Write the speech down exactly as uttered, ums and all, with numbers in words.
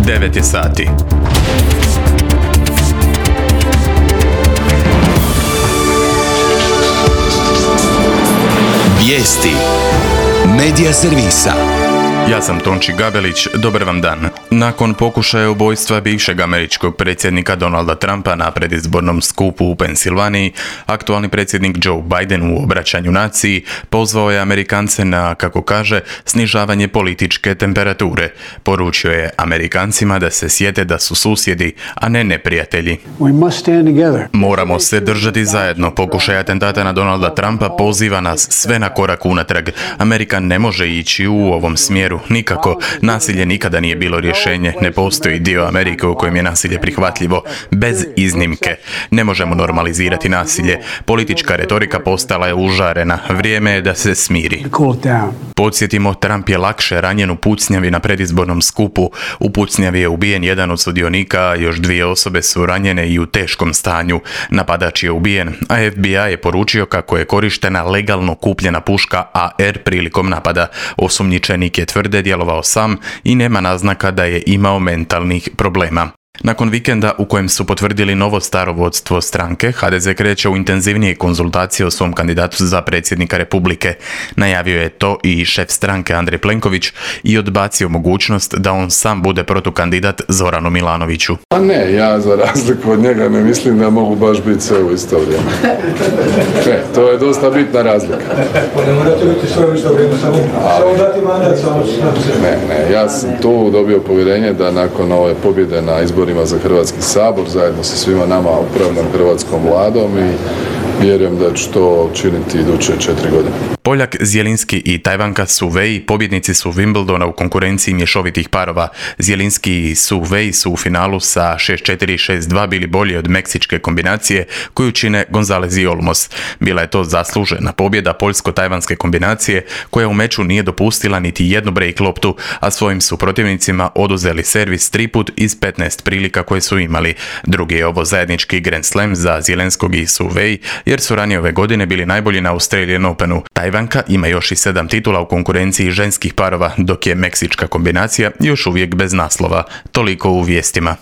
devet je sati. Vijesti Medija servisa. Ja sam Tonči Gabelić, dobar vam dan. Nakon pokušaja ubojstva bivšeg američkog predsjednika Donalda Trumpa na predizbornom skupu u Pensilvaniji, aktualni predsjednik Joe Biden u obraćanju naciji pozvao je Amerikance na, kako kaže, snižavanje političke temperature. Poručio je Amerikancima da se sjete da su susjedi, a ne neprijatelji. Moramo se držati zajedno. Pokušaj atentata na Donalda Trumpa poziva nas sve na korak unatrag. Amerika ne može ići u ovom smjeru. Nikako. Nasilje nikada nije bilo rješenje. Ne postoji dio Amerike u kojem je nasilje prihvatljivo. Bez iznimke. Ne možemo normalizirati nasilje. Politička retorika postala je užarena. Vrijeme je da se smiri. Podsjetimo, Trump je lakše ranjen u pucnjavi na predizbornom skupu. U pucnjavi je ubijen jedan od sudionika, a još dvije osobe su ranjene i u teškom stanju. Napadač je ubijen, a F B I je poručio kako je korištena legalno kupljena puška A R prilikom napada. Osumnjičenik je tvrde djelovao sam i nema naznaka da je imao mentalnih problema. Nakon vikenda u kojem su potvrdili novo staro vodstvo stranke, H D Z kreće u intenzivnije konzultacije o svom kandidatu za predsjednika Republike. Najavio je to i šef stranke Andrej Plenković i odbacio mogućnost da on sam bude protukandidat Zoranu Milanoviću. A ne, ja za razliku od njega ne mislim da mogu baš biti sve u isto vrijeme. Ne, to je dosta bitna razlika. Ne morate biti sve u isto vrijeme, samo dati mandat. Ne, ne, ja sam tu dobio povjerenje da nakon ove pobjede na izboru za Hrvatski sabor, zajedno sa svima nama upravljam hrvatskom vladom i vjerujem da ću to činiti iduće četiri godine. Poljak Zielinski i Tajvanka Su Wei pobjednici su Wimbledona u konkurenciji mješovitih parova. Zielinski i Su Wei su u finalu sa šest četiri i šest dva bili bolji od meksičke kombinacije koju čine Gonzalez i Olmos. Bila je to zaslužena pobjeda poljsko-tajvanske kombinacije koja u meču nije dopustila niti jednu break loptu, a svojim su protivnicima oduzeli servis triput iz petnaest prilika koje su imali. Drugi je ovo zajednički Grand Slam za Zielinskog i Su Wei jer su ranije ove godine bili najbolji na Australian Openu. Tajvanka ima još i sedam titula u konkurenciji ženskih parova, dok je meksička kombinacija još uvijek bez naslova. Toliko u vijestima.